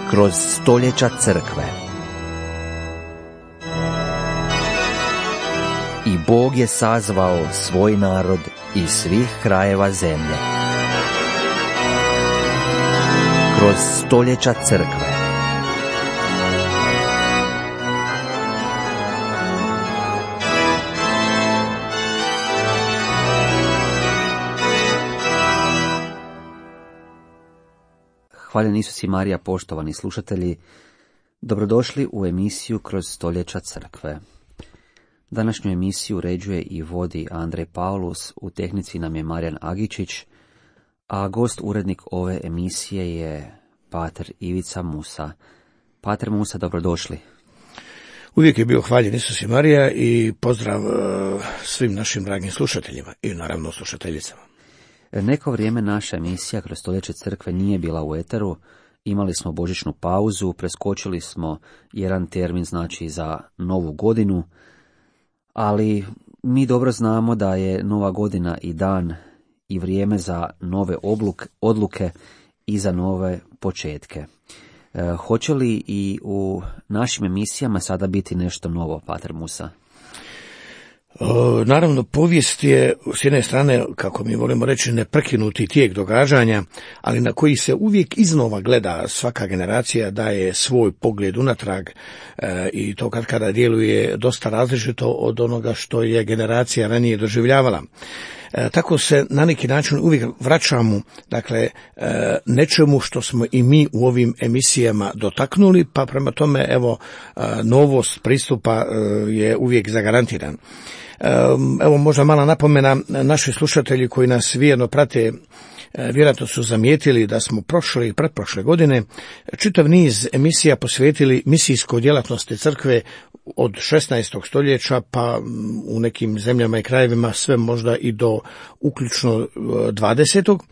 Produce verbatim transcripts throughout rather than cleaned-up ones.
kroz stoljeća crkve. I Bog je sazvao svoj narod iz svih krajeva zemlje. Kroz stoljeća crkve. Hvaljen Isus i Marija, poštovani slušatelji, dobrodošli u emisiju Kroz stoljeća crkve. Današnju emisiju uređuje i vodi Andrej Paulus, u tehnici nam je Marijan Agičić, a gost urednik ove emisije je pater Ivica Musa. Pater Musa, dobrodošli. Uvijek je bio hvaljen Isus i Marija i pozdrav svim našim dragim slušateljima i naravno slušateljicama. Neko vrijeme naša emisija Kroz stoljeće crkve nije bila u eteru, imali smo božićnu pauzu, preskočili smo jedan termin, znači za novu godinu, ali mi dobro znamo da je nova godina i dan i vrijeme za nove obluk, odluke i za nove početke. E, hoće li i u našim emisijama sada biti nešto novo, pater Musa? O, naravno, povijest je s jedne strane, kako mi volimo reći, neprekinuti tijek događanja, ali na koji se uvijek iznova gleda. Svaka generacija daje svoj pogled unatrag e, i to kad kada djeluje dosta različito od onoga što je generacija ranije doživljavala. E, tako se na neki način uvijek vraćamo, dakle, e, nečemu što smo i mi u ovim emisijama dotaknuli, pa prema tome, evo, e, novost pristupa e, je uvijek zagarantiran. E, evo, možda mala napomena, naši slušatelji koji nas vjerno prate, E, vjerojatno su zamijetili da smo prošle i pretprošle godine čitav niz emisija posvetili misijskoj djelatnosti crkve od šesnaestog stoljeća pa u nekim zemljama i krajevima sve možda i do uključno dvadesetog.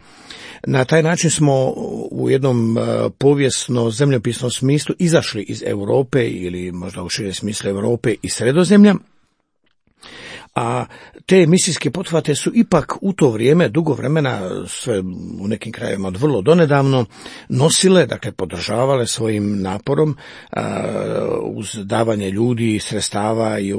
Na taj način smo u jednom povijesno zemljopisnom smislu izašli iz Europe ili možda u širem smislu Europe i Sredozemlja. A te misijske pothvate su ipak u to vrijeme, dugo vremena, sve u nekim krajevima od vrlo donedavno, nosile, dakle podržavale svojim naporom a, uz davanje ljudi, sredstava i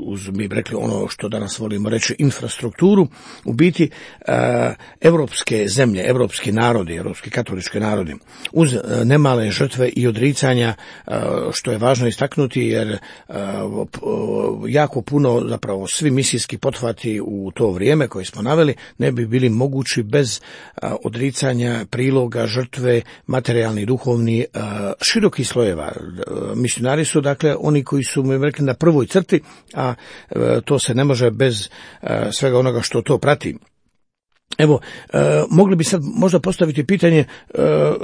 uz, mi bi rekli ono što danas volimo reći, infrastrukturu, u biti a, evropske zemlje, evropski narodi, evropski katolički narodi, uz a, nemale žrtve i odricanja, a, što je važno istaknuti jer a, jako puno, zapravo svi misijski pothvati u to vrijeme koje smo naveli ne bi bili mogući bez a, odricanja, priloga, žrtve, materijalni i duhovni, a, širokih slojeva. Misionari su dakle oni koji su, mi rekli, na prvoj crti, a, a to se ne može bez a, svega onoga što to prati. Evo, a, mogli bi sad možda postaviti pitanje a,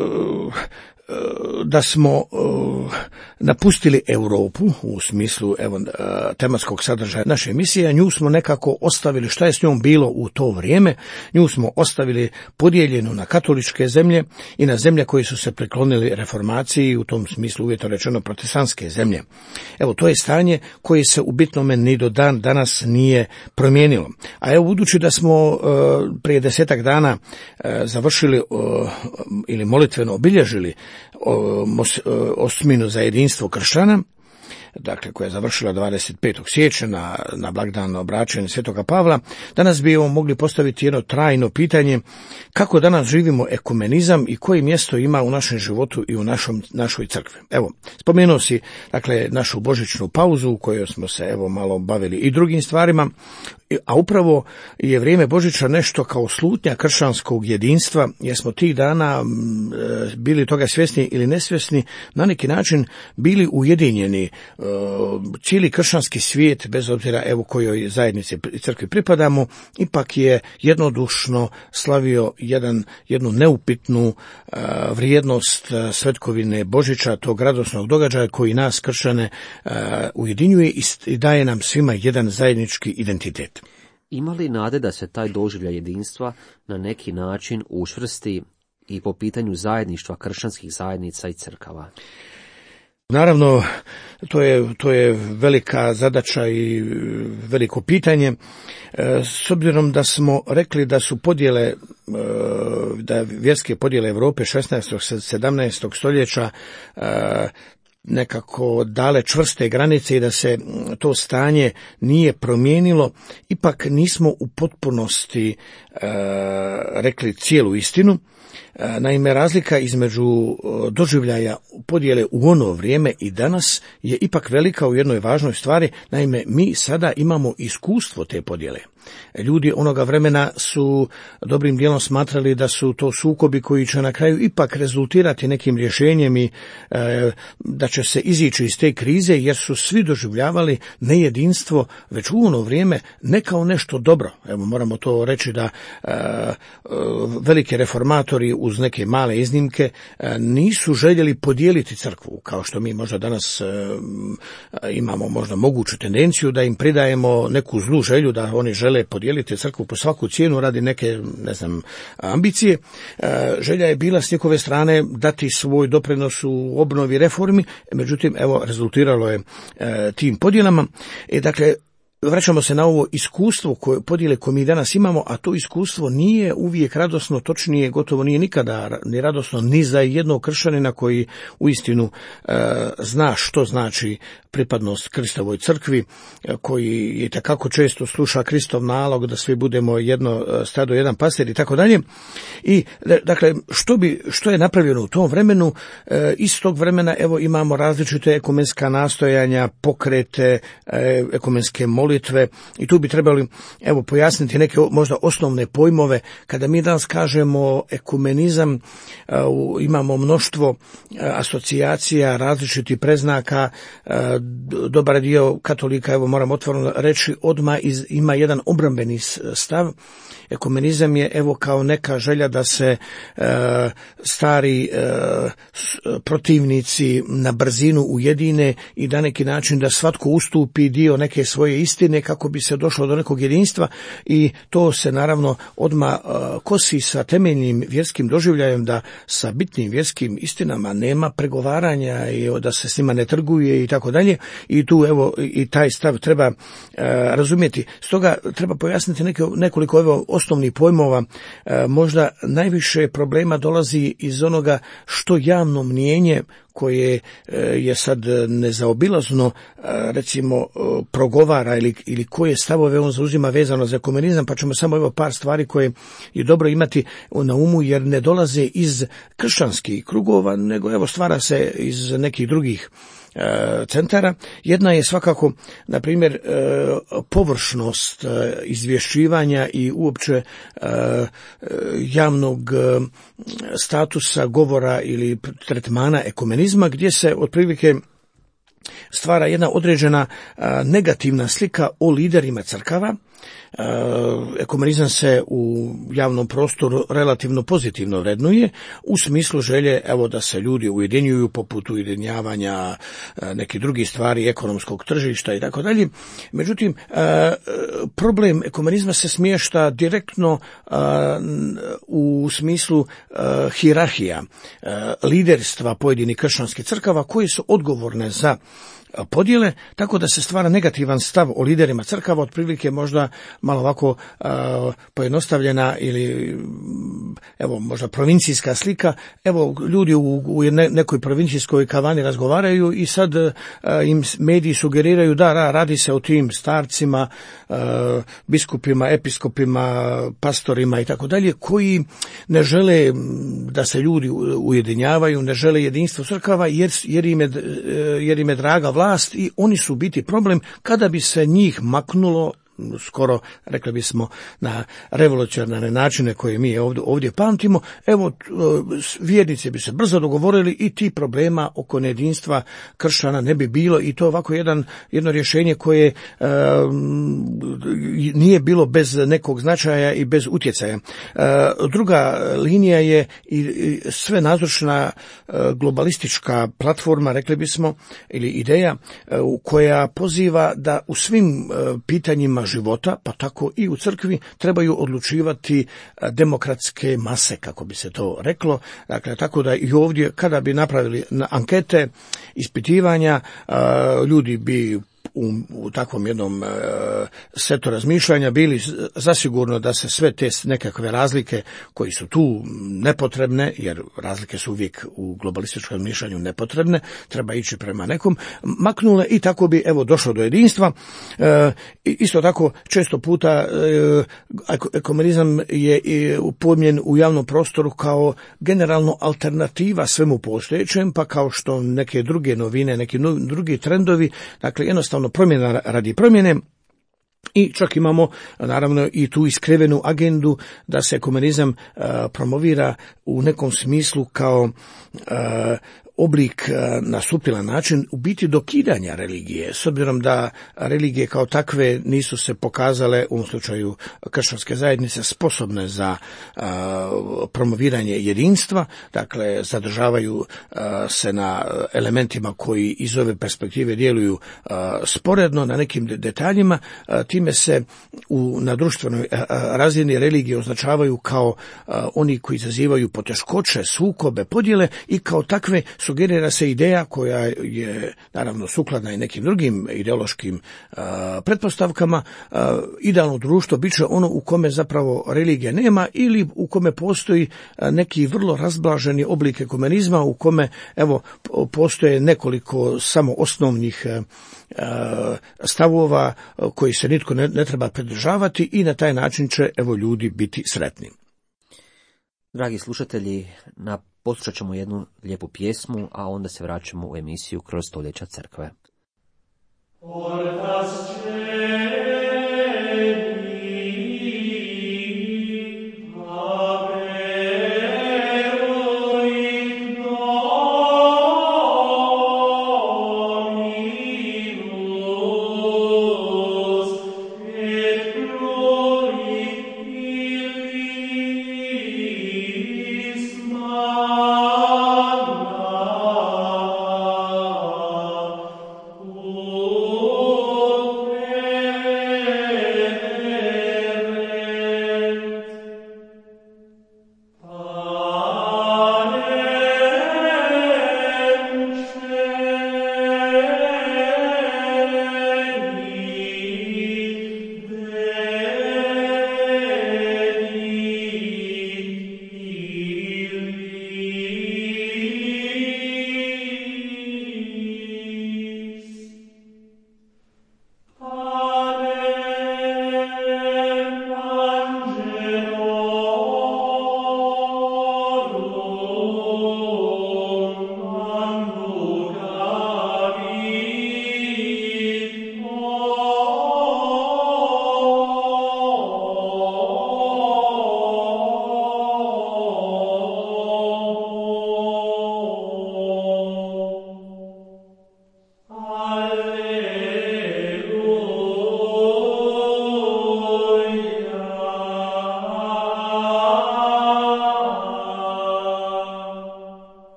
da smo uh, napustili Europu u smislu evo, uh, tematskog sadržaja naše emisije, nju smo nekako ostavili, šta je s njom bilo u to vrijeme, nju smo ostavili podijeljenu na katoličke zemlje i na zemlje koje su se priklonili reformaciji, u tom smislu uvjetno rečeno protestantske zemlje. Evo, to je stanje koje se u bitnome ni do dan danas nije promijenilo. A evo, budući da smo uh, prije desetak dana uh, završili uh, ili molitveno obilježili osminu za jedinstvo kršćana, dakle koja je završila dvadeset petog siječnja na, na blagdan obraćanja Svetoga Pavla, danas bi mogli postaviti jedno trajno pitanje kako danas živimo ekumenizam i koje mjesto ima u našem životu i u našom, našoj crkvi. Evo, spomenuo si dakle našu božićnu pauzu u kojoj smo se evo malo bavili i drugim stvarima, a upravo je vrijeme Božića nešto kao slutnja kršćanskog jedinstva, jer smo tih dana bili toga svjesni ili nesvjesni, na neki način bili ujedinjeni. Cijeli kršćanski svijet, bez obzira evo kojoj zajednici crkvi pripadamo, ipak je jednodušno slavio jedan, jednu neupitnu vrijednost svetkovine Božića, tog radosnog događaja koji nas kršćane ujedinjuje i daje nam svima jedan zajednički identitet. Ima li nade da se taj doživljaj jedinstva na neki način učvrsti i po pitanju zajedništva kršćanskih zajednica i crkava? Naravno, to je, to je velika zadaća i veliko pitanje. S obzirom da smo rekli da su podjele, da vjerske podjele Europe šesnaestog sedamnaestog stoljeća nekako dale čvrste granice i da se to stanje nije promijenilo, ipak nismo u potpunosti e, rekli cijelu istinu. E, naime, razlika između doživljaja podjele u ono vrijeme i danas je ipak velika u jednoj važnoj stvari. Naime, mi sada imamo iskustvo te podjele. Ljudi onoga vremena su dobrim dijelom smatrali da su to sukobi koji će na kraju ipak rezultirati nekim rješenjem i e, da će se izići iz te krize, jer su svi doživljavali nejedinstvo već u ono vrijeme ne kao nešto dobro. Evo, moramo to reći da e, veliki reformatori uz neke male iznimke e, nisu željeli podijeliti crkvu, kao što mi možda danas e, imamo možda moguću tendenciju da im pridajemo neku zlu želju da oni žele podijeliti crkvu po svaku cijenu radi neke, ne znam, ambicije. E, želja je bila s njihove strane dati svoj doprinos u obnovi reformi, međutim, evo, rezultiralo je e, tim podjelama. E, dakle, vraćamo se na ovo iskustvo koje, podjele koje mi danas imamo, a to iskustvo nije uvijek radosno, točnije gotovo nije nikada ni radosno ni za jednog kršćanina koji uistinu e, zna što znači pripadnost Kristovoj crkvi, koji je takako često sluša Kristov nalog da svi budemo jedno stado, jedan pastir i tako dalje. I dakle, što bi što je napravljeno u tom vremenu? E, iz tog vremena evo imamo različite ekumenska nastojanja, pokrete, e, ekumenske molitve, i tu bi trebali evo pojasniti neke možda osnovne pojmove. Kada mi danas kažemo ekumenizam, e, imamo mnoštvo e, asocijacija, različitih preznaka. e, Dobar dio katolika, evo moram otvoreno reći, odmah iz, ima jedan obrambeni stav. Ekumenizam je evo kao neka želja da se e, stari e, protivnici na brzinu ujedine i da neki način da svatko ustupi dio neke svoje istine kako bi se došlo do nekog jedinstva, i to se naravno odmah e, kosi sa temeljnim vjerskim doživljajem da sa bitnim vjerskim istinama nema pregovaranja i da se s njima ne trguje i tako dalje. I tu evo i taj stav treba e, razumjeti. Stoga treba pojasniti neke, nekoliko evo osnovnih pojmova. E, možda najviše problema dolazi iz onoga što javno mnijenje koje je sad nezaobilazno, recimo, progovara ili, ili koje stavove on zauzima vezano za ekumenizam, pa ćemo samo evo par stvari koje je dobro imati na umu, jer ne dolaze iz kršćanskih krugova, nego evo stvara se iz nekih drugih centara. Jedna je svakako, na primjer, površnost izvješćivanja i uopće javnog statusa govora ili tretmana ekumenizma, gdje se otprilike stvara jedna određena negativna slika o liderima crkava. Ekumenizam se u javnom prostoru relativno pozitivno vrednuje u smislu želje evo da se ljudi ujedinjuju, poput ujedinjavanja nekih drugih stvari, ekonomskog tržišta i tako dalje. Međutim, problem ekumenizma se smješta direktno u smislu hijerarhija, liderstva pojedinih kršćanskih crkava koje su odgovorne za podjele, tako da se stvara negativan stav o liderima crkava, otprilike možda malo ovako a, pojednostavljena ili evo možda provincijska slika. Evo ljudi u, u ne, nekoj provincijskoj kavani razgovaraju i sad a, im mediji sugeriraju da ra, radi se o tim starcima, a, biskupima, episkopima, pastorima i tako dalje, koji ne žele da se ljudi ujedinjavaju, ne žele jedinstvo crkava jer, jer, im je, jer im je draga vlast i oni su biti problem. Kada bi se njih maknulo skoro, rekli bismo, na revolucionarne načine koje mi ovdje, ovdje pamtimo, evo, vjernici bi se brzo dogovorili i ti problema oko nejedinstva kršćana ne bi bilo, i to ovako jedan, jedno rješenje koje e, nije bilo bez nekog značaja i bez utjecaja. E, druga linija je i, i sve nazočna e, globalistička platforma, rekli bismo, ili ideja e, koja poziva da u svim e, pitanjima života, pa tako i u crkvi, trebaju odlučivati demokratske mase, kako bi se to reklo. Dakle, tako da i ovdje, kada bi napravili ankete, ispitivanja, ljudi bi U, u takvom jednom e, setu razmišljanja bili zasigurno da se sve te nekakve razlike koji su tu nepotrebne, jer razlike su uvijek u globalističkom razmišljanju nepotrebne, treba ići prema nekom, maknule i tako bi evo došlo do jedinstva. E, isto tako često puta e, ekumenizam je upojmljen u javnom prostoru kao generalno alternativa svemu postojećem, pa kao što neke druge novine, neki drugi trendovi, dakle jednostavno promjena radi promjene. I čak imamo naravno i tu iskrivenu agendu da se ekumenizam uh, promovira u nekom smislu kao uh, oblik na suptilan način u biti dokidanja religije, s obzirom da religije kao takve nisu se pokazale u ovom slučaju kršćanske zajednice sposobne za a, promoviranje jedinstva, dakle zadržavaju a, se na elementima koji iz ove perspektive djeluju a, sporedno na nekim detaljima, a, time se u, na društvenoj a, razini religije označavaju kao a, oni koji izazivaju poteškoće, sukobe, podjele i kao takve sugerira se ideja koja je naravno sukladna i nekim drugim ideološkim a, pretpostavkama. A, idealno društvo bit će ono u kome zapravo religija nema ili u kome postoji a, neki vrlo razblaženi oblik ekumenizma u kome evo postoje nekoliko samo osnovnih a, a, stavova a, koji se nitko ne, ne treba pridržavati i na taj način će evo ljudi biti sretni. Dragi slušatelji, na poslušat ćemo jednu lijepu pjesmu, a onda se vraćamo u emisiju Kroz stoljeća crkve. Oh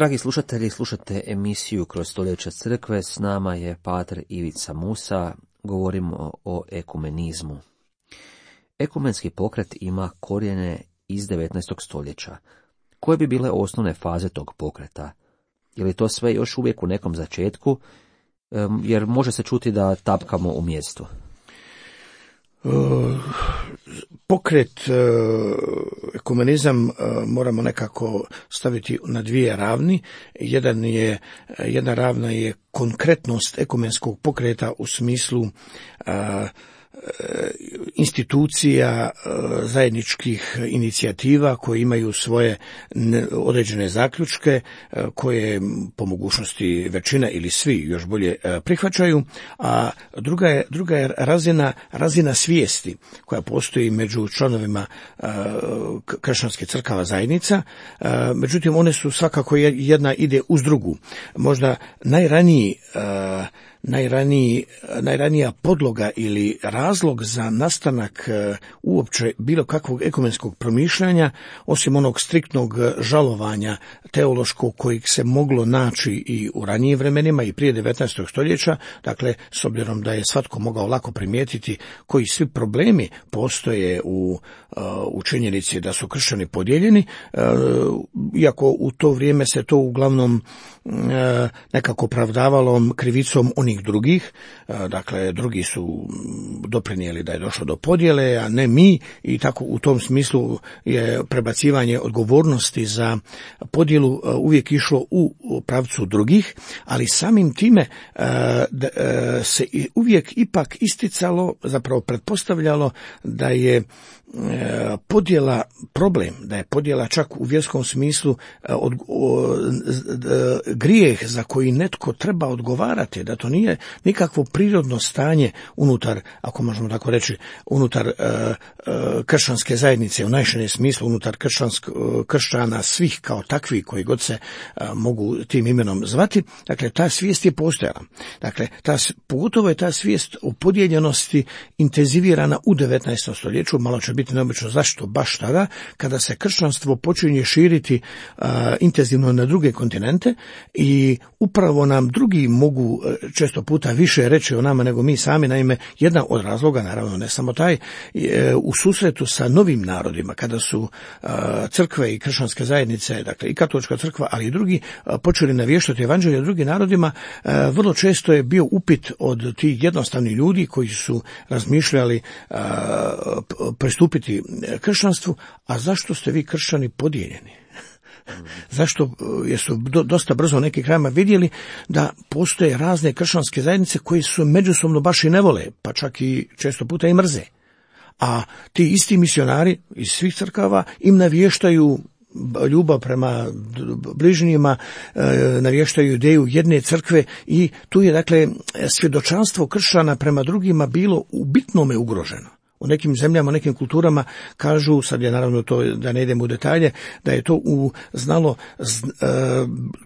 Dragi slušatelji, slušate emisiju Kroz stoljeća crkve, s nama je pater Ivica Musa, govorimo o ekumenizmu. Ekumenski pokret ima korijene iz devetnaestog stoljeća. Koje bi bile osnovne faze tog pokreta? Je li to sve još uvijek u nekom začetku, jer može se čuti da tapkamo u mjestu? Pokret, ekumenizam moramo nekako staviti na dvije ravni. Jedan je, jedna ravna je konkretnost ekumenskog pokreta u smislu a, institucija, zajedničkih inicijativa koje imaju svoje određene zaključke koje po mogućnosti većina ili svi još bolje prihvaćaju, a druga je, druga je razina, razina svijesti koja postoji među članovima kršćanskih crkava zajednica. Međutim, one su svakako jedna ide uz drugu. Možda najraniji Najraniji, najranija podloga ili razlog za nastanak uh, uopće bilo kakvog ekumenskog promišljanja, osim onog striktnog žalovanja teološkog kojeg se moglo naći i u ranijim vremenima i prije devetnaestog stoljeća, dakle, s obzirom da je svatko mogao lako primijetiti koji svi problemi postoje u, uh, u činjenici da su kršćani podijeljeni, uh, iako u to vrijeme se to uglavnom uh, nekako pravdavalo krivicom onih drugih, dakle drugi su doprinijeli da je došlo do podjele, a ne mi, i tako u tom smislu je prebacivanje odgovornosti za podjelu uvijek išlo u pravcu drugih, ali samim time se uvijek ipak isticalo, zapravo pretpostavljalo da je podjela problem, da je podjela čak u vjerskom smislu od, o, grijeh za koji netko treba odgovarati, da to nije nikakvo prirodno stanje unutar, ako možemo tako reći, unutar uh, uh, kršćanske zajednice, u najširem smislu unutar kršćansk, uh, kršćana svih kao takvi koji god se uh, mogu tim imenom zvati. Dakle, ta svijest je postojala. Dakle, ta, pogotovo je ta svijest o podijeljenosti intenzivirana u devetnaestom stoljeću, malo će biti neobično zašto baš tada, kada se kršćanstvo počinje širiti uh, intenzivno na druge kontinente i upravo nam drugi mogu uh, često puta više reći o nama nego mi sami. Naime, jedna od razloga, naravno ne samo taj, je u susretu sa novim narodima, kada su uh, crkve i kršćanske zajednice, dakle i katolička crkva, ali i drugi, uh, počeli navještati evanđelje drugim narodima, uh, vrlo često je bio upit od tih jednostavnih ljudi koji su razmišljali uh, pristupiti kršćanstvu: a zašto ste vi kršćani podijeljeni? Zašto? Jer su dosta brzo u nekim krajima vidjeli da postoje razne kršćanske zajednice koje su međusobno baš i ne vole, pa čak i često puta i mrze. A ti isti misionari iz svih crkava im navještaju ljubav prema bližnjima, navještaju ideju jedne crkve i tu je, dakle, svjedočanstvo kršćana prema drugima bilo u bitnome ugroženo. U nekim zemljama, u nekim kulturama kažu, sad je naravno to da ne idemo u detalje, da je to u znalo z, e,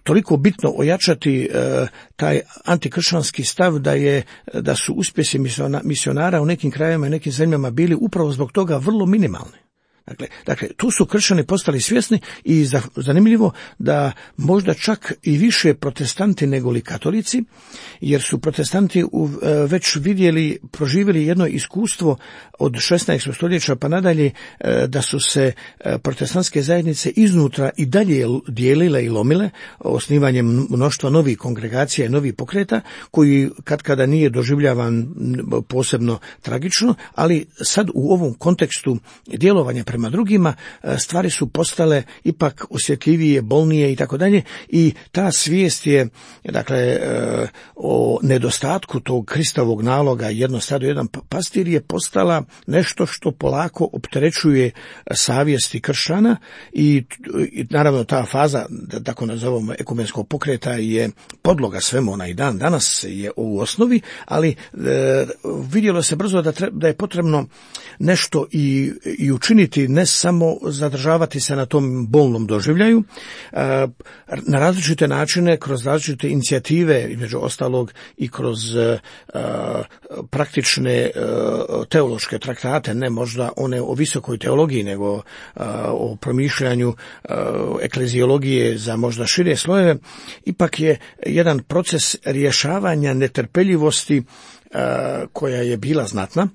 toliko bitno ojačati e, taj antikršćanski stav da je da su uspjesi misionara u nekim krajevima i nekim zemljama bili upravo zbog toga vrlo minimalni. Dakle, dakle, tu su kršćani postali svjesni i zanimljivo da možda čak i više protestanti nego li katolici, jer su protestanti već vidjeli, proživjeli jedno iskustvo od šesnaestog stoljeća pa nadalje, da su se protestantske zajednice iznutra i dalje dijelile i lomile osnivanjem mnoštva novih kongregacija i novih pokreta, koji katkada nije doživljavan posebno tragično, ali sad u ovom kontekstu djelovanja prema drugima stvari su postale ipak osjetljivije, bolnije i tako dalje, i ta svijest je, dakle, o nedostatku tog Kristovog naloga jedno stado, jedan pastir je postala nešto što polako opterećuje savjesti kršćana i, i naravno ta faza, da tako nazovemo, ekumenskog pokreta je podloga svemu, ona i dan danas je u osnovi, ali e, vidjelo se brzo da, tre, da je potrebno nešto i, i učiniti ali ne samo zadržavati se na tom bolnom doživljaju, na različite načine, kroz različite inicijative, između ostalog i kroz praktične teološke traktate, ne možda one o visokoj teologiji, nego o promišljanju ekleziologije za možda šire slojeve, ipak je jedan proces rješavanja netrpeljivosti koja je bila znatna.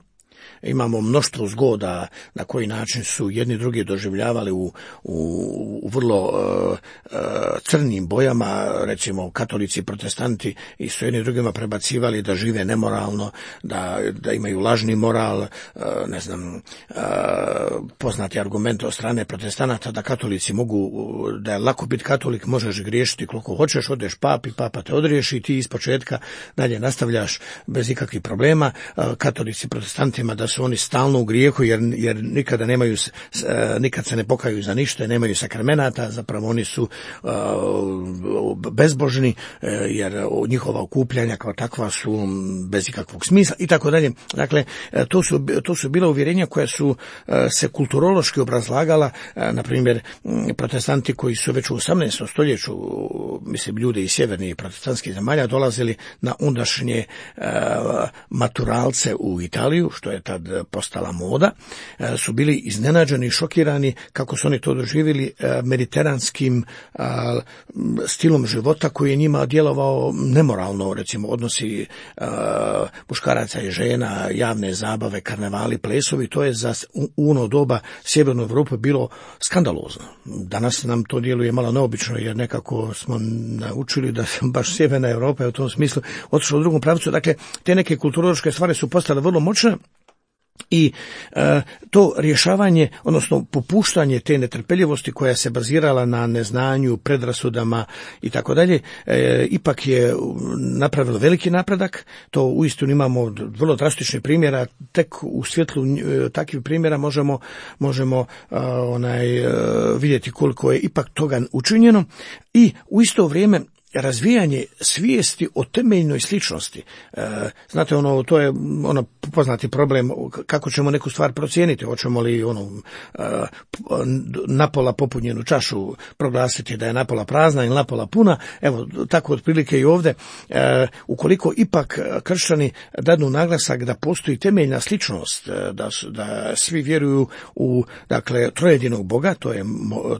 Imamo mnoštvo zgoda na koji način su jedni drugi doživljavali u, u, u vrlo uh, uh, crnim bojama, recimo katolici, protestanti i su jedni drugima prebacivali da žive nemoralno, da, da imaju lažni moral, uh, ne znam, uh, poznati argument od strane protestanata da katolici mogu, da je lako biti katolik, možeš griješiti koliko hoćeš, odeš papi, papa te odriješi i ti ispočetka dalje nastavljaš bez ikakvih problema. Uh, katolici protestantima da su oni stalno u grijehu jer, jer nikada nemaju, nikad se ne pokaju za ništa, nemaju sakramenata, zapravo oni su uh, bezbožni jer njihova okupljanja kao takva su bez ikakvog smisla i tako dalje. Dakle, to su, to su bila uvjerenja koja su uh, se kulturološki obrazlagala, uh, na primjer protestanti koji su već u osamnaestom stoljeću, mislim ljudi iz sjevernih protestantskih zemalja dolazili na ondašnje uh, maturalce u Italiju, što je tad postala moda, su bili iznenađeni i šokirani kako su oni to doživjeli mediteranskim stilom života koji je njima djelovao nemoralno, recimo odnosi muškaraca i žena, javne zabave, karnevali, plesovi, to je za u ono doba Sjevernu Europu bilo skandalozno. Danas nam to djeluje malo neobično jer nekako smo naučili da baš Sjeverna Europa je u tom smislu otišla u drugom pravcu. Dakle, te neke kulturološke stvari su postale vrlo moćne. I e, to rješavanje, odnosno popuštanje te netrpeljivosti koja se bazirala na neznanju, predrasudama i tako dalje, ipak je napravilo veliki napredak. To uistinu imamo vrlo drastičnih primjera, tek u svjetlu e, takvih primjera možemo, možemo e, onaj, e, vidjeti koliko je ipak toga učinjeno i u isto vrijeme razvijanje svijesti o temeljnoj sličnosti. E, znate, ono, to je ono poznati problem kako ćemo neku stvar procijeniti. Hoćemo li ono, e, napola popunjenu čašu proglasiti da je napola prazna ili napola puna. Evo, tako otprilike i ovdje. E, ukoliko ipak kršćani dadnu naglasak da postoji temeljna sličnost, da, da svi vjeruju u, dakle, trojedinog Boga, to je,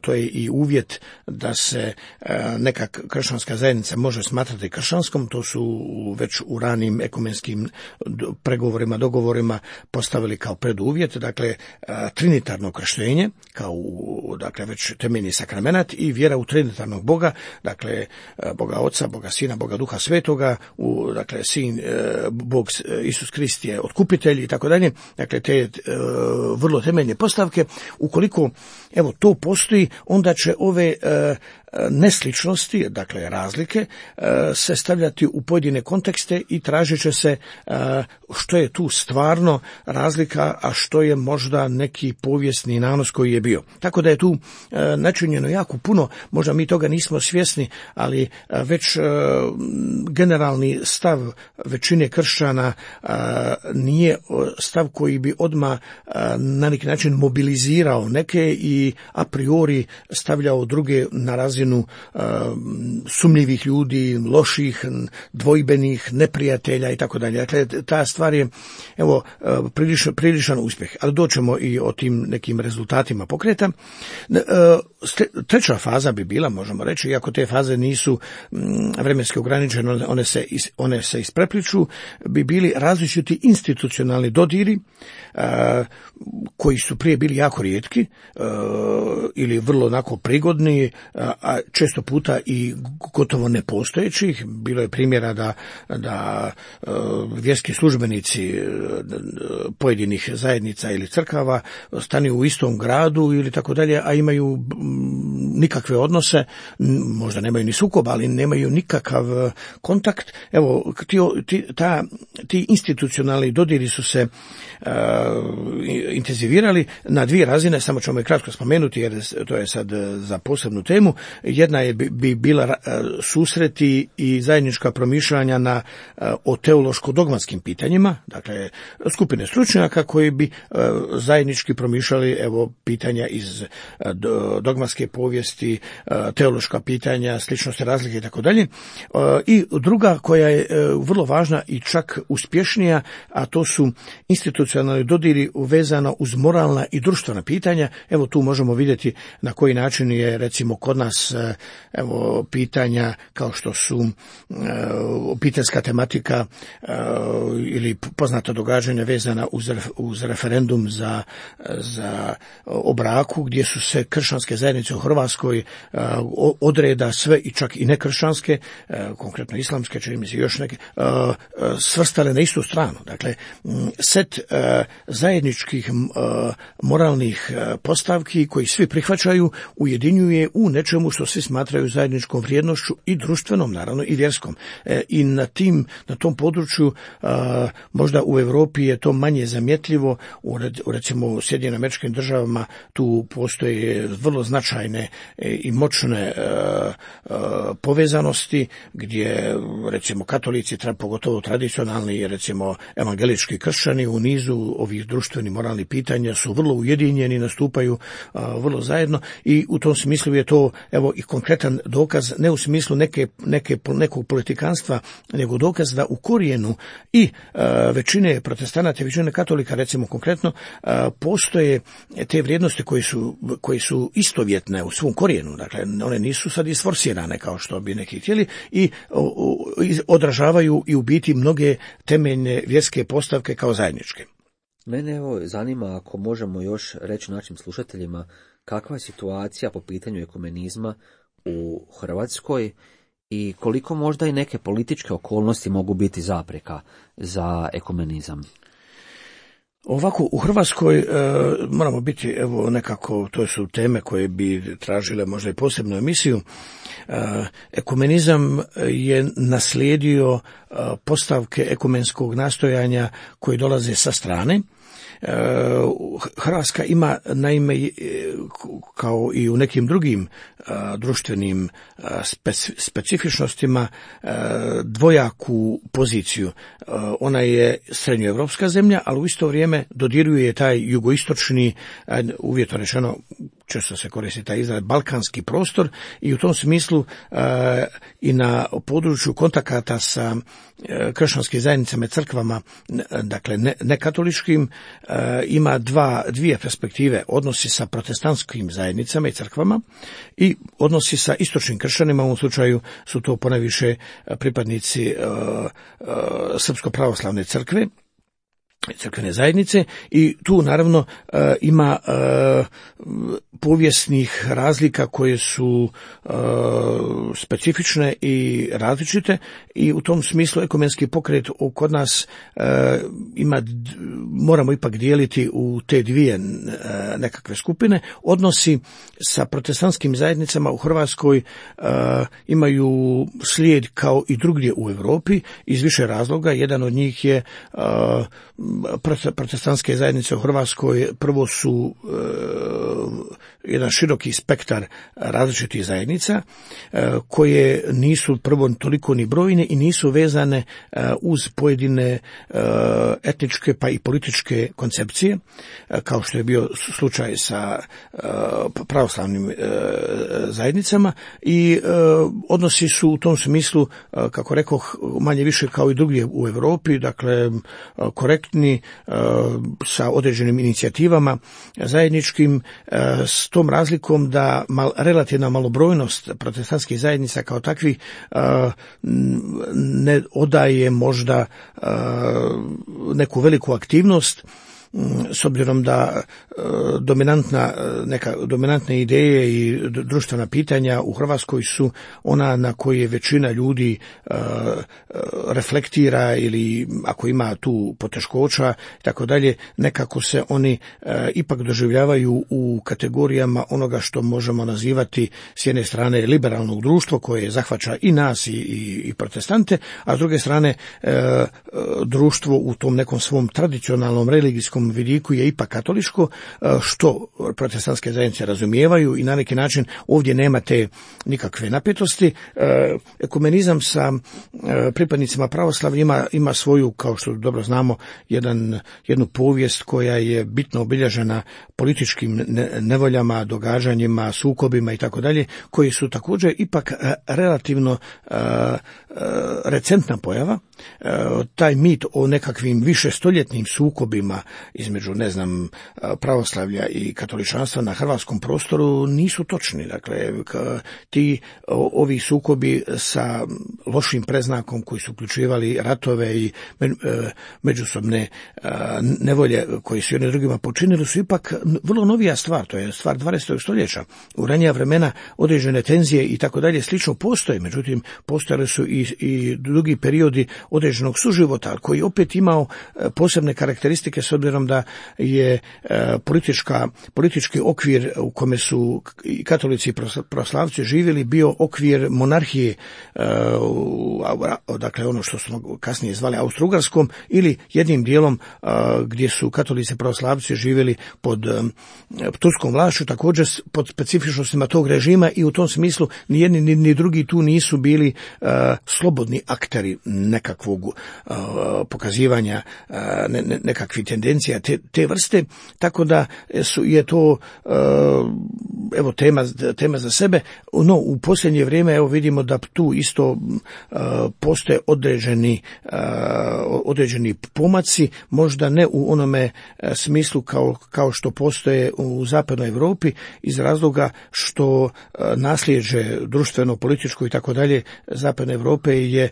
to je i uvjet da se e, neka kršćanska zajednica može smatrati kršćanskom, to su već u ranim ekumenskim pregovorima, dogovorima postavili kao preduvjet, dakle trinitarno krštenje, kao dakle već temeljni sakramenat i vjera u trinitarnog Boga, dakle Boga Oca, Boga Sina, Boga Duha Svetoga, u, dakle Sin, Bog Isus Krist je otkupitelj i tako dalje, dakle te vrlo temeljne postavke. Ukoliko evo to postoji, onda će ove nesličnosti, dakle razlike, se stavljati u pojedine kontekste i tražit će se što je tu stvarno razlika, a što je možda neki povijesni nanos koji je bio. Tako da je tu načinjeno jako puno, možda mi toga nismo svjesni, ali već generalni stav većine kršćana nije stav koji bi odmah na neki način mobilizirao neke i a priori stavljao druge na razinu Uh, sumnjivih ljudi, loših, dvojbenih, neprijatelja i tako dalje. Dakle, ta stvar je evo, uh, priličan, priličan uspjeh, ali doćemo i o tim nekim rezultatima pokreta. Uh, treća faza bi bila, možemo reći, iako te faze nisu um, vremenski ograničene, one se, is, one se isprepliču, bi bili različiti institucionalni dodiri, uh, koji su prije bili jako rijetki uh, ili vrlo onako prigodni, a često puta i gotovo nepostojećih. Bilo je primjera da, da uh, vjerski službenici pojedinih zajednica ili crkava stanu u istom gradu ili tako dalje, a imaju nikakve odnose, možda nemaju ni sukoba, ali nemaju nikakav kontakt. Evo, ti, ti, ta, ti institucionalni dodiri su se uh, intenzivirali na dvije razine, samo ćemo je kratko spomenuti jer to je sad za posebnu temu. Jedna je bi, bi bila uh, susreti i zajednička promišljanja na, uh, o teološko-dogmatskim pitanjima, dakle skupine stručnjaka koji bi uh, zajednički promišljali evo pitanja iz uh, dogmatske povijesti, uh, teološka pitanja, sličnosti, razlike i tako dalje. I druga koja je uh, vrlo važna i čak uspješnija, a to su institucionalni dodiri vezano uz moralna i društvena pitanja. Evo tu možemo vidjeti na koji način je recimo kod nas uh, evo pitanja kao što su uh, obiteljska tematika uh, ili poznata događanja vezana uz, uz referendum za, za o braku, gdje su se kršćanske zajednice u Hrvatskoj uh, odreda sve i čak i nekršćanske, uh, konkretno islamske, čini mi se još neke, uh, svrstale na istu stranu. Dakle, set uh, zajedničkih uh, moralnih uh, postavki koji svi prihvaćaju ujedinjuje u nečemu što svi smatraju zajedničkom vrijednošću i društvenom, naravno i vjerskom. E, I na tim, na tom području uh, možda u Europi je to manje zamjetljivo, u, u recimo u Sjedinjenim Američkim Državama tu postoje vrlo značajne e, i moćne uh, uh, povezanosti gdje recimo katolici, pogotovo tradicionalni, recimo evangelički kršćani u nizu ovih društvenih moralnih pitanja su vrlo ujedinjeni, nastupaju uh, vrlo zajedno i u tom smislu je to evo i konkretan dokaz, ne u smislu neke, neke, nekog politikanstva, nego dokaz da u korijenu i uh, većine protestanata, većine katolika recimo konkretno, uh, postoje te vrijednosti koje su, koje su istovjetne u svom korijenu, dakle one nisu sad isforsirane kao što bi neki htjeli i uh, odražavaju i u biti mnoge temeljne vjerske postavke kao zajedničke. Mene evo zanima ako možemo još reći našim slušateljima kakva je situacija po pitanju ekumenizma u Hrvatskoj i koliko možda i neke političke okolnosti mogu biti zapreka za ekumenizam. Ovako, u Hrvatskoj e, moramo biti, evo nekako, to su teme koje bi tražile možda i posebnu emisiju. E, ekumenizam je naslijedio e, postavke ekumenskog nastojanja koji dolaze sa strane. Hrvatska ima naime kao i u nekim drugim društvenim specifičnostima dvojaku poziciju. Ona je srednjoevropska zemlja, ali u isto vrijeme dodiruje taj jugoistočni, uvjetno rečeno, često se koristi taj izraz, balkanski prostor i u tom smislu e, i na području kontakata sa e, kršćanskim zajednicama i crkvama, dakle ne, nekatoličkim, e, ima dva, dvije perspektive, odnosi sa protestantskim zajednicama i crkvama i odnosi sa istočnim kršćanima, u ovom slučaju su to ponajviše pripadnici e, e, Srpsko-pravoslavne crkve, crkvene zajednice i tu naravno e, ima e, povijesnih razlika koje su e, specifične i različite i u tom smislu ekumenski pokret kod nas e, ima, moramo ipak dijeliti u te dvije e, nekakve skupine. Odnosi sa protestantskim zajednicama u Hrvatskoj e, imaju slijed kao i drugdje u Europi iz više razloga. Jedan od njih je e, protestantske zajednice u Hrvatskoj prvo su e, jedan široki spektar različitih zajednica e, koje nisu prvo toliko ni brojne i nisu vezane e, uz pojedine e, etničke pa i političke koncepcije, e, kao što je bio slučaj sa e, pravoslavnim e, zajednicama i e, odnosi su u tom smislu, e, kako rekoh, manje više kao i drugdje u Europi, dakle korektni, sa određenim inicijativama zajedničkim, s tom razlikom da mal, relativna malobrojnost protestantskih zajednica kao takvih ne odaje možda neku veliku aktivnost, s obzirom da dominantna, neka dominantne ideje i društvena pitanja u Hrvatskoj su ona na koje većina ljudi reflektira ili ako ima tu poteškoća i tako dalje, nekako se oni e, ipak doživljavaju u kategorijama onoga što možemo nazivati s jedne strane liberalnog društva koje zahvaća i nas i, i, i protestante, a s druge strane e, društvo u tom nekom svom tradicionalnom religijskom vidiku je ipak katoličko, e, što protestantske zajednice razumijevaju i na neki način ovdje nema te nikakve napetosti. E, ekumenizam sa e, pripadnicima pravoslavlja ima, ima svoju, kao što dobro znamo, jedan, jednu povijest koja je bitno obilježena političkim ne, nevoljama, događanjima, sukobima i tako dalje, koji su također ipak e, relativno e, e, recentna pojava. E, taj mit o nekakvim višestoljetnim sukobima između, ne znam, pravoslavlja i katoličanstva na hrvatskom prostoru nisu točni. Dakle, ti ovi sukobi sa lošim preznakom koji su uključivali ratove i međusobne nevolje koji su jedni drugima počinili su ipak vrlo novija stvar, to je stvar dvadesetog stoljeća. U ranija vremena određene tenzije i tako dalje slično postoje, međutim postojali su i, i drugi periodi određenog suživota koji opet imao posebne karakteristike s obzirom da je politička, politički okvir u kome su i katolici i pravoslavci živjeli bio okvir monarhije, dakle ono što smo kasnije zvali Austro-Ugarskom, ili jednim dijelom gdje su katolici i pravoslavci živjeli pod turskom vlašću, također pod specifičnostima tog režima i u tom smislu ni jedni ni, ni drugi tu nisu bili slobodni akteri nekakvog pokazivanja ne, ne, nekakvih tendencija te, te vrste, tako da su, je to evo tema, tema za sebe. No, u posljednje vrijeme evo vidimo da tu isto postoje određeni, određeni pomaci, možda ne u onome smislu kao, kao što postoje u zapadnoj Europi, iz razloga što nasljeđe društveno, političko i tako dalje zapadne Europe je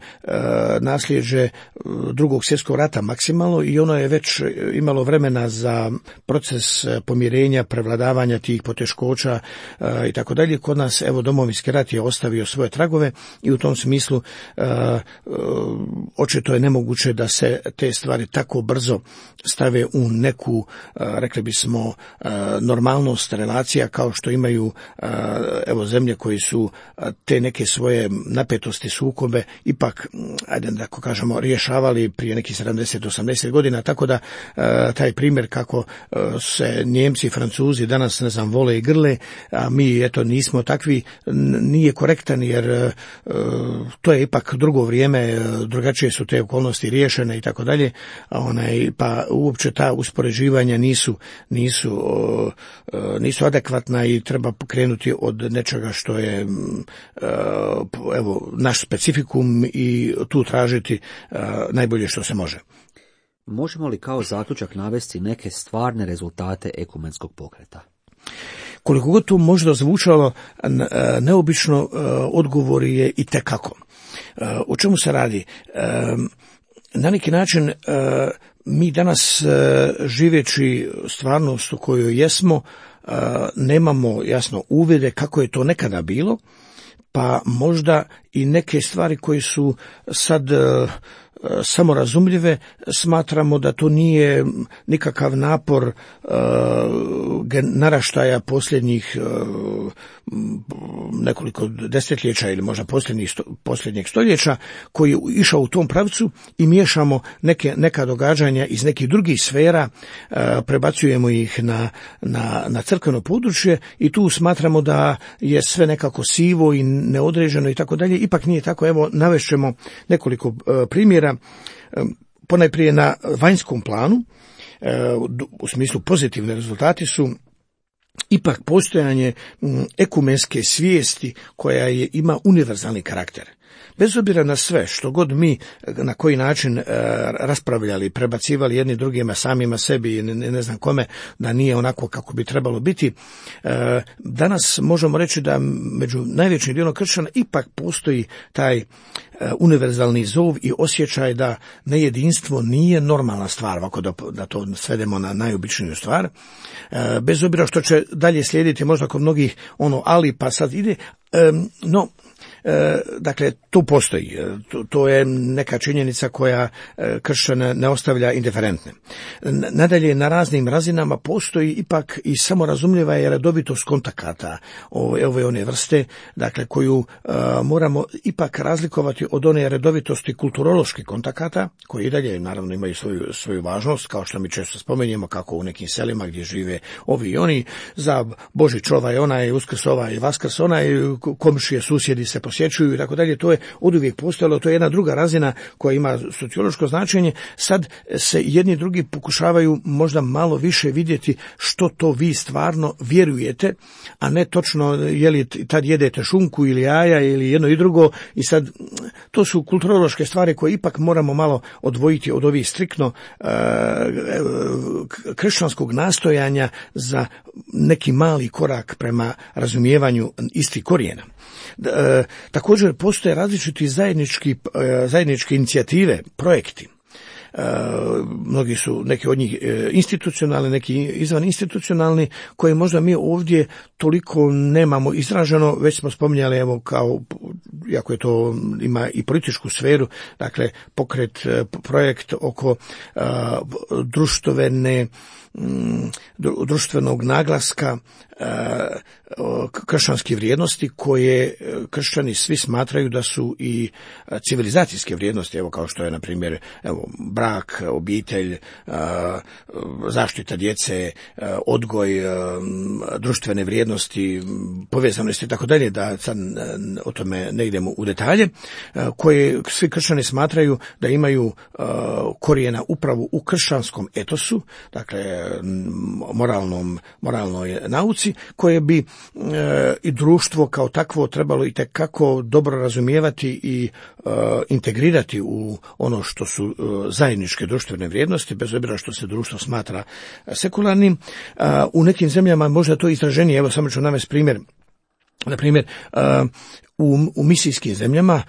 nasljeđe drugog svjetskog rata maksimalno i ono je već imalo vremena za proces pomirenja, prevladavanja tih poteškoća i tako dalje. Kod nas evo domovinski rat je ostavio svoje tragove i u tom smislu uh, uh, očito je nemoguće da se te stvari tako brzo stave u neku, uh, rekli bismo, uh, normalnost relacija kao što imaju uh, evo zemlje koji su uh, te neke svoje napetosti, sukobe ipak, ajde da kažemo, rješavali prije nekih sedamdeset do osamdeset godina, tako da uh, taj primjer kako uh, se Njemci i Francuzi danas, ne znam, vole i grle, a mi eto nismo takvi, nije korektan jer e, to je ipak drugo vrijeme, drugačije su te okolnosti riješene i tako dalje, onaj, pa uopće ta uspoređivanja nisu, nisu, e, nisu adekvatna i treba pokrenuti od nečega što je e, evo naš specifikum i tu tražiti e, najbolje što se može. Možemo li kao zaključak navesti neke stvarne rezultate ekumenskog pokreta? Koliko god to možda zvučalo neobično, odgovor je i tekako. O čemu se radi? Na neki način mi danas živeći stvarnost u kojoj jesmo, nemamo jasno uvide kako je to nekada bilo, pa možda i neke stvari koje su sad samorazumljive, smatramo da to nije nikakav napor uh, naraštaja posljednjih uh, nekoliko desetljeća ili možda posljednjih sto, posljednjeg stoljeća koji je išao u tom pravcu i miješamo neke, neka događanja iz nekih drugih sfera, uh, prebacujemo ih na, na, na crkveno područje i tu smatramo da je sve nekako sivo i neodređeno i tako dalje. Ipak nije tako. Evo, navešćemo nekoliko uh, primjera. Ponajprije na vanjskom planu, u smislu pozitivne rezultati su ipak postojanje ekumenske svijesti koja je, ima univerzalni karakter. Bez obzira na sve što god mi na koji način e, raspravljali, prebacivali jedni drugima, samima sebi i ne, ne znam kome, da nije onako kako bi trebalo biti, e, danas možemo reći da među najvećim dijelom kršćana ipak postoji taj e, univerzalni zov i osjećaj da nejedinstvo nije normalna stvar, ovako da, da to svedemo na najobičniju stvar. E, bez obzira što će dalje slijediti možda kod mnogih ono ali pa sad ide, e, no dakle, tu postoji. To, to je neka činjenica koja kršćana ne ostavlja indiferentne. Nadalje, na raznim razinama postoji ipak i samorazumljiva je redovitost kontakata ove, ove one vrste, dakle, koju a, moramo ipak razlikovati od one redovitosti kulturoloških kontakata, koji i dalje, naravno, imaju svoju, svoju važnost, kao što mi često spomenjemo, kako u nekim selima gdje žive ovi i oni, za Božić ovaj, onaj, Uskrs ovaj i Vaskrs onaj, komšije, susjedi se posjećuju i tako dalje. To je oduvijek postojalo, to je jedna druga razina koja ima sociološko značenje. Sad se jedni i drugi pokušavaju možda malo više vidjeti što to vi stvarno vjerujete, a ne točno je li tad jedete šunku ili jaja ili jedno i drugo. I sad to su kulturološke stvari koje ipak moramo malo odvojiti od ovih striktno e, kršćanskog nastojanja za neki mali korak prema razumijevanju istih korijena. E, također postoje različiti zajednički, e, zajedničke inicijative, projekti. E, mnogi su, neki od njih e, institucionalni, neki izvan institucionalni, koje možda mi ovdje toliko nemamo izraženo, već smo spominjali, evo, kao, iako je to ima i političku sferu, dakle, pokret, projekt oko e, društvene društvenog naglaska kršćanske vrijednosti koje kršćani svi smatraju da su i civilizacijske vrijednosti, evo kao što je na primjer evo brak, obitelj, zaštita djece, odgoj, društvene vrijednosti, povezanosti i tako dalje, da sad o tome ne idemo u detalje, koje svi kršćani smatraju da imaju korijena upravo u kršćanskom etosu, dakle moralnom, moralnoj nauci, koje bi e, i društvo kao takvo trebalo i tekako dobro razumijevati i e, integrirati u ono što su e, zajedničke društvene vrijednosti, bez obzira što se društvo smatra sekularnim. E, u nekim zemljama možda to izraženije, evo samo ću navesti primjer. Na primjer, u, u misijskim zemljama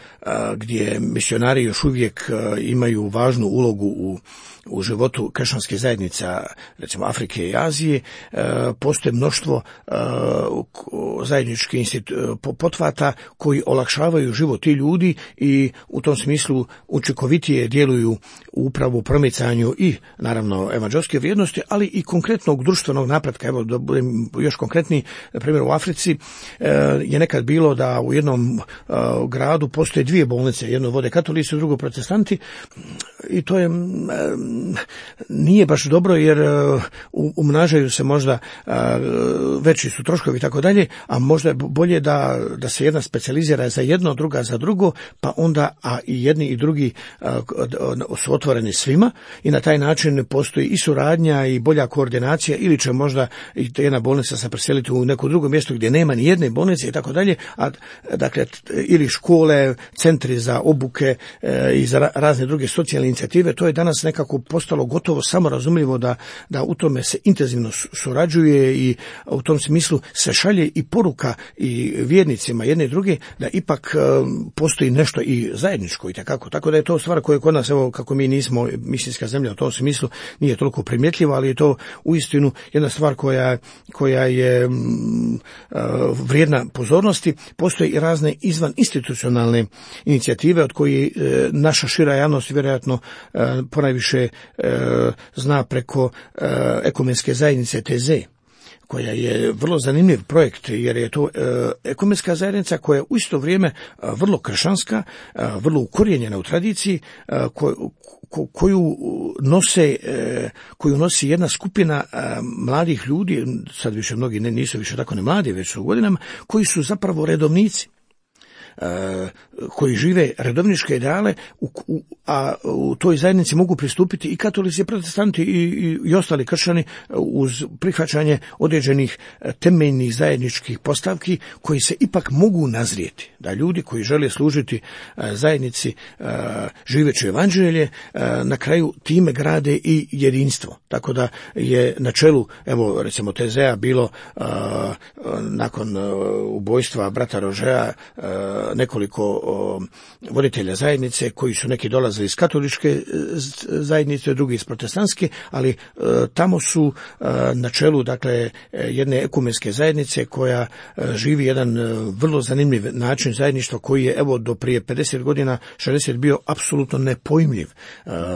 gdje misionari još uvijek imaju važnu ulogu u, u životu kršćanskih zajednica, recimo Afrike i Azije, postoje mnoštvo zajedničkih pothvata koji olakšavaju život tih ljudi i u tom smislu učinkovitije djeluju upravo u promicanju i naravno evanđelske vrijednosti, ali i konkretnog društvenog napretka. Evo da budem još konkretniji, na primjer u Africi je nekad bilo da u jednom uh, gradu postoje dvije bolnice, jedno vode katolici, drugo protestanti, i to je um, nije baš dobro jer uh, umnažaju se možda uh, veći su troškovi i tako dalje, a možda je bolje da, da se jedna specijalizira za jedno, druga za drugo, pa onda a i jedni i drugi uh, su otvoreni svima i na taj način postoji i suradnja i bolja koordinacija, ili će možda i jedna bolnica se preseliti u neko drugo mjesto gdje nema ni jedne bolnice i tako dalje, a dakle ili škole, centri za obuke e, i za razne druge socijalne inicijative. To je danas nekako postalo gotovo samorazumljivo da, da u tome se intenzivno surađuje i u tom smislu se šalje i poruka i vjernicima jedne i druge da ipak e, postoji nešto i zajedničko i takako. Tako da je to stvar koja kod nas, evo kako mi nismo misijska zemlja u tom smislu, nije toliko primjetljiva, ali je to uistinu jedna stvar koja, koja je m, vrijedna pozornosti. Postoje i razne izvan institucionalne inicijative od koji e, naša šira javnost vjerojatno e, ponajviše e, zna preko e, ekumenske zajednice T Z, koja je vrlo zanimljiv projekt jer je to e, ekumenska zajednica koja je u isto vrijeme e, vrlo kršćanska, e, vrlo ukorijenjena u tradiciji, e, ko, ko, koju nose e, koju nosi jedna skupina e, mladih ljudi, sad više mnogi ne, nisu više tako ne mladi, već su u godinama, koji su zapravo redovnici, koji žive redovničke ideale, a u toj zajednici mogu pristupiti i katolici, i protestanti i, i, i ostali kršćani uz prihvaćanje određenih temeljnih zajedničkih postavki koji se ipak mogu nazrijeti. Da ljudi koji žele služiti zajednici živeći evanđelje na kraju time grade i jedinstvo. Tako da je na čelu, evo recimo T Z-a bilo nakon ubojstva brata Rožea nekoliko voditelja zajednice koji su neki dolazili iz katoličke zajednice, drugi iz protestantske, ali tamo su na čelu dakle jedne ekumenske zajednice koja živi jedan vrlo zanimljiv način zajedništva koji je evo do prije pedeset godina, šezdeset bio apsolutno nepojmljiv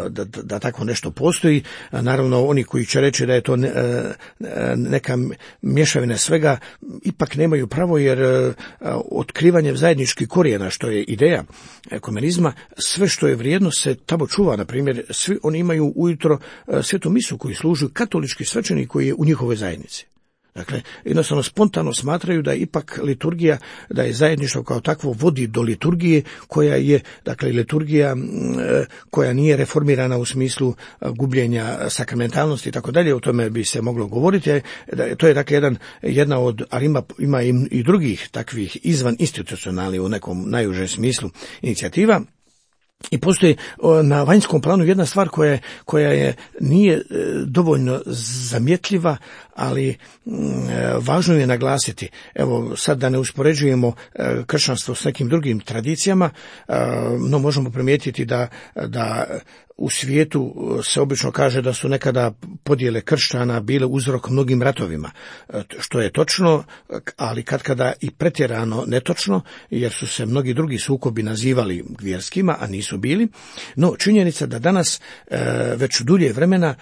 da, da, da tako nešto postoji. Naravno oni koji će reći da je to ne, neka mješavina svega ipak nemaju pravo, jer otkrivanje zajedničkih korijena, što je ideja ekumenizma, sve što je vrijedno se tamo čuva. Na primjer, svi oni imaju ujutro svetu misu koji služuju katolički svećenik koji je u njihovoj zajednici. Dakle, jednostavno spontano smatraju da je ipak liturgija, da je zajedništvo kao takvo vodi do liturgije koja je, dakle, liturgija koja nije reformirana u smislu gubljenja sakramentalnosti i tako dalje, o tome bi se moglo govoriti. To je dakle jedan, jedna od, ali ima, ima i drugih takvih izvan institucionalnih u nekom najužem smislu inicijativa. I postoji na vanjskom planu jedna stvar koja, koja je nije dovoljno zamjetljiva, ali važno je naglasiti. Evo sad da ne uspoređujemo kršćanstvo s nekim drugim tradicijama, no možemo primijetiti da, da u svijetu se obično kaže da su nekada podjele kršćana bile uzrok mnogim ratovima, što je točno, ali katkada i pretjerano netočno, jer su se mnogi drugi sukobi nazivali vjerskima, a nisu bili. No činjenica da danas već dulje vremena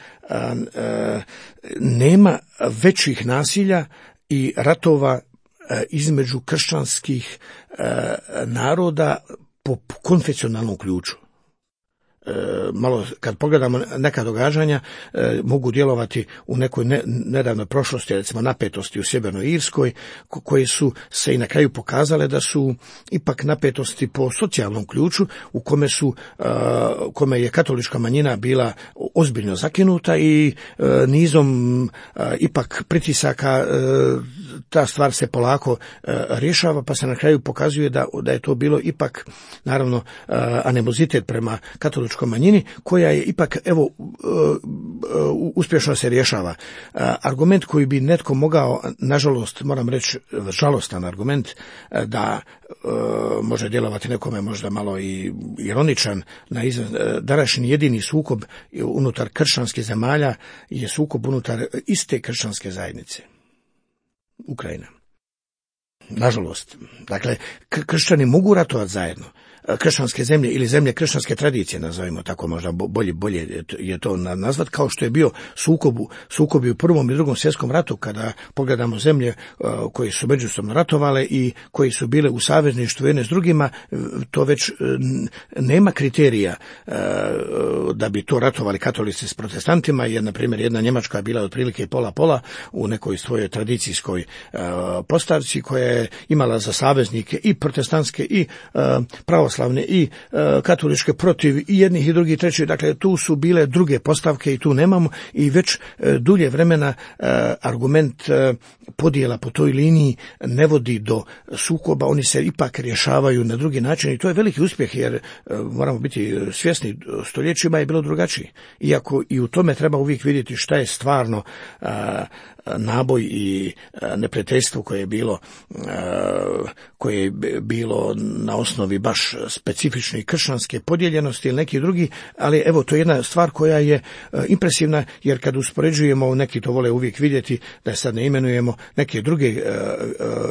nema većih nasilja i ratova između kršćanskih naroda po konfesionalnom ključu. E, malo kad pogledamo neka događanja e, mogu djelovati u nekoj ne, nedavnoj prošlosti, recimo napetosti u Sjevernoj Irskoj, ko, koje su se i na kraju pokazale da su ipak napetosti po socijalnom ključu u kome su e, kome je katolička manjina bila ozbiljno zakinuta i e, nizom e, ipak pritisaka e, ta stvar se polako e, rješava, pa se na kraju pokazuje da, da je to bilo ipak naravno e, animozitet prema katoličkoj manjini koja je ipak evo uspješno se rješava. Argument koji bi netko mogao, nažalost moram reći žalostan argument, da može djelovati nekome možda malo i ironičan, na današnji jedini sukob unutar kršćanskih zemalja je sukob unutar iste kršćanske zajednice, Ukrajina. Nažalost, dakle, kršćani mogu ratovati zajedno. Kršćanske zemlje ili zemlje kršćanske tradicije, nazovimo tako, možda bolje, bolje je to nazvat, kao što je bio sukob, sukobi u Prvom i Drugom svjetskom ratu, kada pogledamo zemlje uh, koje su međusobno ratovale i koji su bile u savezništvu jedne s drugima, to već uh, nema kriterija uh, da bi to ratovali katolici s protestantima, jer na primjer jedna Njemačka je bila otprilike pola-pola u nekoj svojoj tradicijskoj uh, postavci koja je imala za saveznike i protestantske i uh, pravoslavne i e, katoličke protiv i jednih i drugih trećih, dakle tu su bile druge postavke i tu nemamo i već e, dulje vremena e, argument e, podjela po toj liniji ne vodi do sukoba, oni se ipak rješavaju na drugi način i to je veliki uspjeh, jer e, moramo biti svjesni, stoljećima je bilo drugačije, iako i u tome treba uvijek vidjeti šta je stvarno e, naboj i neprijateljstvo koje je bilo koje je bilo na osnovi baš specifične kršćanske podijeljenosti ili neki drugi, ali evo to je jedna stvar koja je impresivna, jer kad uspoređujemo, neki to vole uvijek vidjeti, da sad ne imenujemo neke druge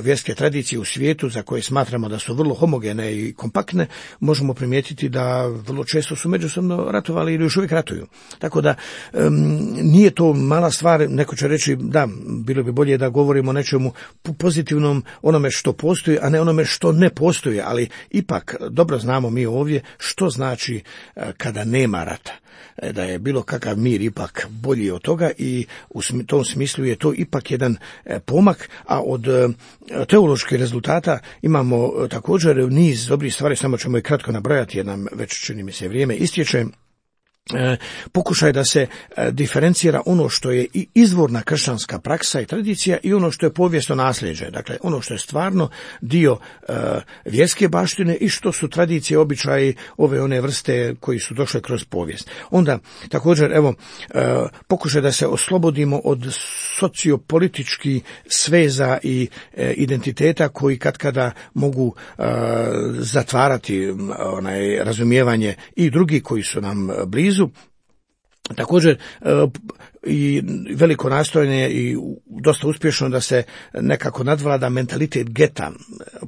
vjerske tradicije u svijetu za koje smatramo da su vrlo homogene i kompaktne, možemo primijetiti da vrlo često su međusobno ratovali ili još uvijek ratuju. Tako da nije to mala stvar, neko će reći da, bilo bi bolje da govorimo o nečemu pozitivnom, onome što postoji, a ne onome što ne postoji, ali ipak dobro znamo mi ovdje što znači kada nema rata. Da je bilo kakav mir ipak bolji od toga i u tom smislu je to ipak jedan pomak, a od teoloških rezultata imamo također niz dobrih stvari, samo ćemo i kratko nabrojati jer nam već čini mi se vrijeme istječe. pokušaj da se diferencira ono što je i izvorna kršćanska praksa i tradicija i ono što je povijesno nasljeđe, dakle ono što je stvarno dio uh, vjerske baštine i što su tradicije, običaji ove one vrste koji su došle kroz povijest. Onda također evo uh, pokušaj da se oslobodimo od sociopolitičkih sveza i uh, identiteta koji katkada mogu uh, zatvarati um, onaj razumijevanje i drugi koji su nam blizu. Također i veliko nastojanje i dosta uspješno da se nekako nadvlada mentalitet geta,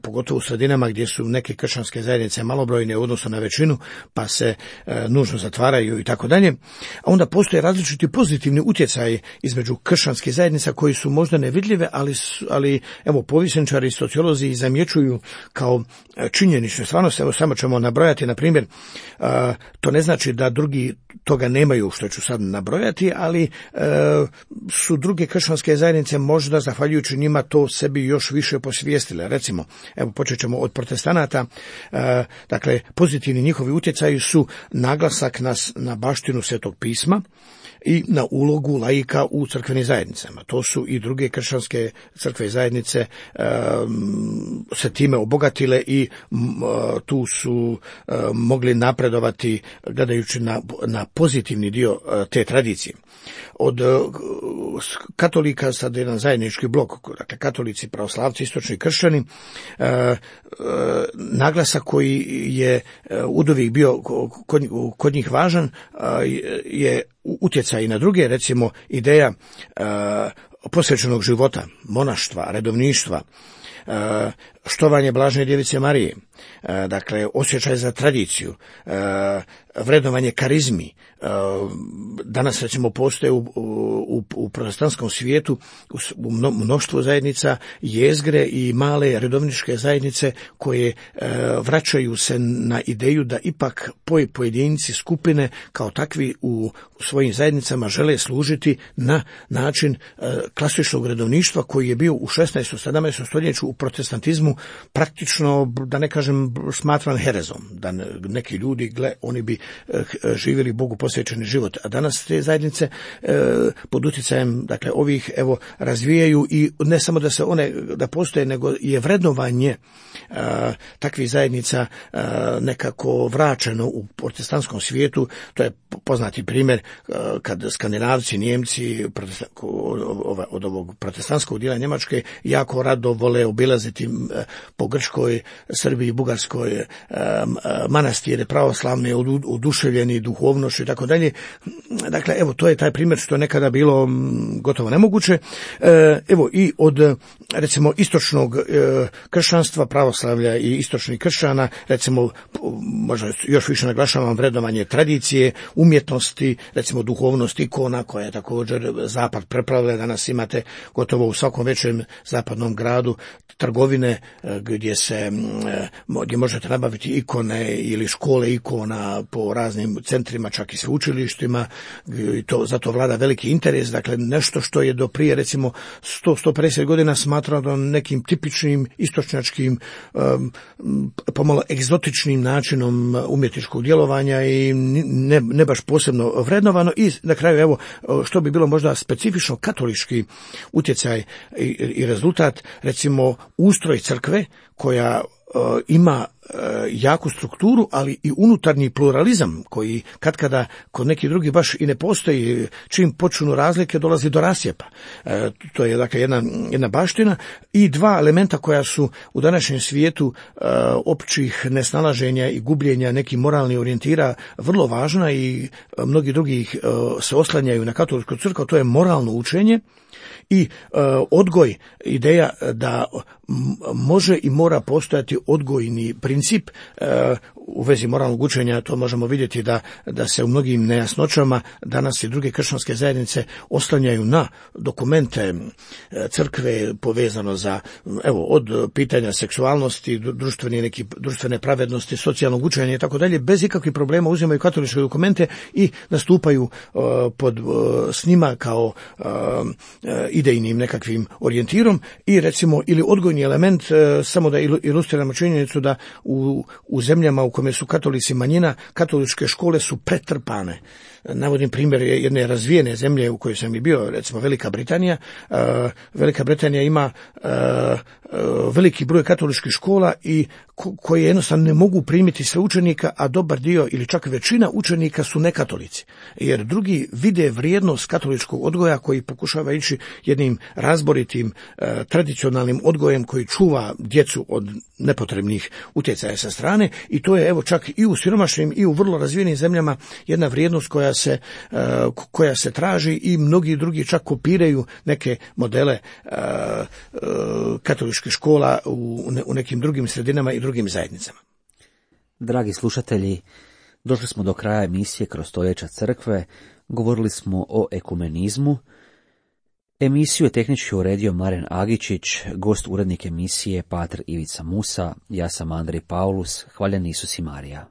pogotovo u sredinama gdje su neke kršćanske zajednice malobrojne u odnosu na većinu, pa se e, nužno zatvaraju i tako dalje. A onda postoje različiti pozitivni utjecaji između kršćanskih zajednica koji su možda nevidljive, ali, ali evo povjesničari i sociolozi zamjećuju kao činjenične stvarnosti. Evo samo ćemo nabrojati, na primjer, e, to ne znači da drugi toga nemaju, što ću sad nabrojati, ali e, su druge kršćanske zajednice možda zahvaljujući njima to sebi još više posvijestile. Recimo, evo počet ćemo od protestanata, e, dakle pozitivni njihovi utjecaji su naglasak na, na baštinu Svetog pisma i na ulogu laika u crkvenim zajednicama. To su i druge kršćanske crkve i zajednice e, se time obogatile i m, tu su e, mogli napredovati gledajući na, na pozitivni dio e, te tradicije. Od e, katolika sad jedan zajednički blok, dakle katolici, pravoslavci, istočni kršćani, e, e, naglasak koji je e, uvijek bio kod, kod njih važan e, je utjecaj na druge, recimo ideja e, posvećenog života, monaštva, redovništva, e, štovanje blažene djevice Marije, e, dakle osjećaj za tradiciju, e, vrednovanje karizmi. E, danas recimo postoje u, u, u protestantskom svijetu u mnoštvo zajednica jezgre i male redovničke zajednice koje e, vraćaju se na ideju da ipak pojedinci, skupine kao takvi u svojim zajednicama žele služiti na način e, klasičnog redovništva koji je bio u šesnaestom sedamnaestom stoljeću u protestantizmu praktično, da ne kažem, smatran herezom, da neki ljudi, gle, oni bi e, živjeli Bogu posvećeni život, a danas te zajednice e, pod utjecajem, dakle, ovih, evo, razvijaju i ne samo da se one, da postoje, nego je vrednovanje e, takvih zajednica e, nekako vraćeno u protestantskom svijetu. To je poznati primjer e, kad Skandinavci, Nijemci od ovog protestantskog dijela Njemačke jako rado vole obilaziti po Grčkoj, Srbiji, Bugarskoj manastire pravoslavne, oduševljeni duhovnošću i tako dalje. Dakle, evo, to je taj primjer što je nekada bilo gotovo nemoguće. Evo, i od, recimo, istočnog kršćanstva, pravoslavlja i istočnih kršćana, recimo, možda još više naglašavam vrednovanje tradicije, umjetnosti, recimo duhovnost ikona, koja je također zapad prepravila. Danas imate gotovo u svakom većem zapadnom gradu trgovine gdje se gdje možete nabaviti ikone ili škole ikona po raznim centrima, čak i sveučilištima, i to zato vlada veliki interes. Dakle, nešto što je do prije recimo sto do sto pedeset godina smatrano nekim tipičnim istočnjačkim um, pomalo egzotičnim načinom umjetničkog djelovanja i ne, ne baš posebno vrednovano. I na kraju, evo, što bi bilo možda specifično katolički utjecaj i, i rezultat, recimo ustroj crkve koja uh, ima uh, jaku strukturu, ali i unutarnji pluralizam koji katkada kod nekih drugih baš i ne postoji. Čim počnu razlike dolazi do rasjepa. Uh, to je dakle jedna, jedna baština i dva elementa koja su u današnjem svijetu uh, općih nesnalaženja i gubljenja nekih moralnih orijentira vrlo važna i uh, mnogi drugi uh, se oslanjaju na katoličku crkvu. To je moralno učenje i uh, odgoj, ideja da može i mora postojati odgojni princip uh, u vezi moralnog učenja. To možemo vidjeti da, da se u mnogim nejasnoćama danas i druge kršćanske zajednice oslanjaju na dokumente crkve povezano za, evo, od pitanja seksualnosti, društvene, neki, društvene pravednosti, socijalnog učenja i tako dalje, bez ikakvih problema uzimaju katoličke dokumente i nastupaju uh, pod, uh, s njima kao uh, idejnim nekakvim orijentirom i recimo ili odgojni element, uh, samo da ilustriramo činjenicu da u, u zemljama u kome su katolici manjina, katoličke škole su pretrpane. Navodim primjer jedne razvijene zemlje u kojoj sam i bio, recimo Velika Britanija. Uh, Velika Britanija ima uh, uh, veliki broj katoličkih škola i ko, koje jednostavno ne mogu primiti sve učenika, a dobar dio ili čak većina učenika su nekatolici. Jer drugi vide vrijednost katoličkog odgoja koji pokušava ići jednim razboritim uh, tradicionalnim odgojem koji čuva djecu od nepotrebnih utjecaja sa strane, i to je evo čak i u siromašnim i u vrlo razvijenim zemljama jedna vrijednost koja se, uh, koja se traži, i mnogi drugi čak kopiraju neke modele uh, uh, katoličkih škola u, u nekim drugim sredinama i drugim zajednicama. Dragi slušatelji, došli smo do kraja emisije Kroz stoljeća crkve. Govorili smo o ekumenizmu. Emisiju je tehnički uredio Maren Agičić, gost urednik emisije pater Ivica Musa, ja sam Andrej Paulus, hvaljen Isus i Marija.